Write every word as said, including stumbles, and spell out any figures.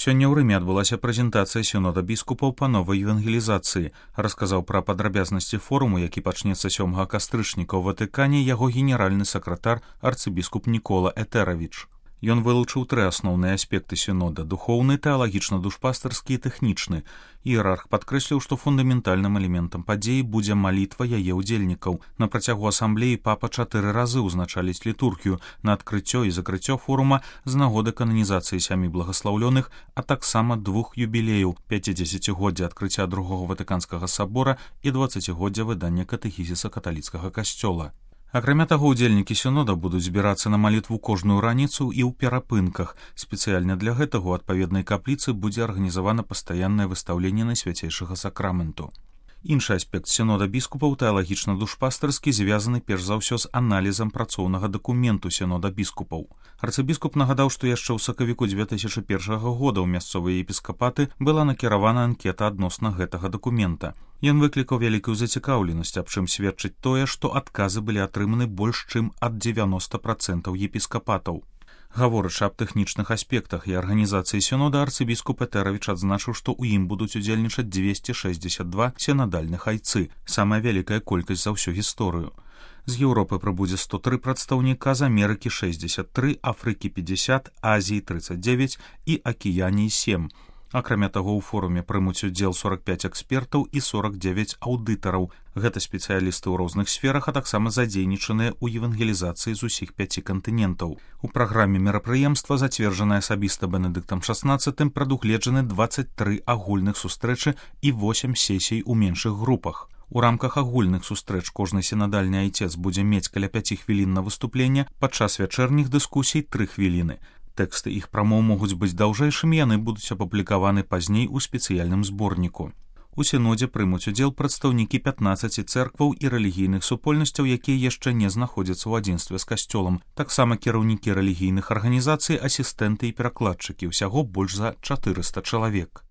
Сёння ў Рыме адбылася прэзентацыя сінода біскупаў па новай евангелізацыі. Расказаў пра падрабязнасці форуму, які пачнецца сёмага кастрычніка ў Ватыкане, яго генеральны сакратар арцыбіскуп Нікола Этэравіч. Ён вылучыў тры асноўныя аспекты сінода: духоўны, тэалагічна-душпастарскі і тэхнічны. Іерарх падкрэсліў, што фундаментальным элементам падзеі будзе малітва яе ўдзельнікаў. На працягу асамблеі папа чатыры разы ўзначаліць літургію на адкрыццё і закрыццё форума з нагоды кананізацыі сямі благаслаўлёных, а таксама двух юбілеяў: пяцідзесяцігоддзя адкрыцця другога ватыканскага сабора і дваццацігоддзя выдання катэхізіса каталіцкага касцёла. Акрамя таго, удзельнікі сінода будуць збірацца на малітву кожную раніцу і ў перапынках. Спецыяльна для гэтага ў адпаведнай капліцы будзе арганізавана пастаяннае выстаўленне найсвяцейшага сакраменту. Іншы аспект сінода біскупаў, тэалагічна-душпастарскі, звязаны перш за ўсё з аналізам працоўнага дакументу сінода біскупаў. Арцыбіскуп нагадаў, што яшчэ ў сакавіку дзве тысячы першага года ў мясцовыя епіскапаты была накіравана анкета адносна гэтага дакумента. Ён выклікаў вялікую зацікаўленасць, аб чым сведчыць тое, што адказы былі атрыманы больш чым ад дзевяноста працэнтаў епіскапатаў. Гаворачы аб тэхнічных аспектах і арганізацыі сінода, арцыбіскуп Этэравіч адзначыў, што ў ім будуць удзельнічаць дзвесце шэсцьдзесят два сінадальных айцы, самая вялікая колькасць за ўсю гісторыю. З Еўропы прыбудзе сто тры прадстаўніка, з Амерыкі шэсцьдзесят тры, Афрыкі пятьдесят, Азіі тридцать девять і Акіяніі сем. Акрамя таго, у форуме прымуць удзел сорок пяць экспертаў і сорок девять аўдытараў. Гэта спецыялісты ў розных сферах, а таксама задзейнічаныя ў евангелізацыі з усіх пяці кантынентаў. У праграме мерапрыемства, зацверджанай асабіста Бенедыктам шаснаццатым, прадугледжаны дваццаць тры агульных сустрэчы і восем сесій у меншых групах. У рамках агульных сустрэч кожны сінадальны айцец будзе мець каля пяці хвілін на выступленне, падчас вячэрніх дыскусій тры хвіліны. Тэксты іх прамоў могуць быць даўжэйшымі, яны будуць апублікаваны пазней у спецыяльным зборніку. У сінодзе прымуць удзел прадстаўнікі пятнаццаці цэркваў і рэлігійных супольнасцяў, якія яшчэ не знаходзяцца ў адзінстве з касцёлам. Таксама кіраўнікі рэлігійных арганізацый, асістэнты і перакладчыкі, усяго больш за чатырыста чалавек.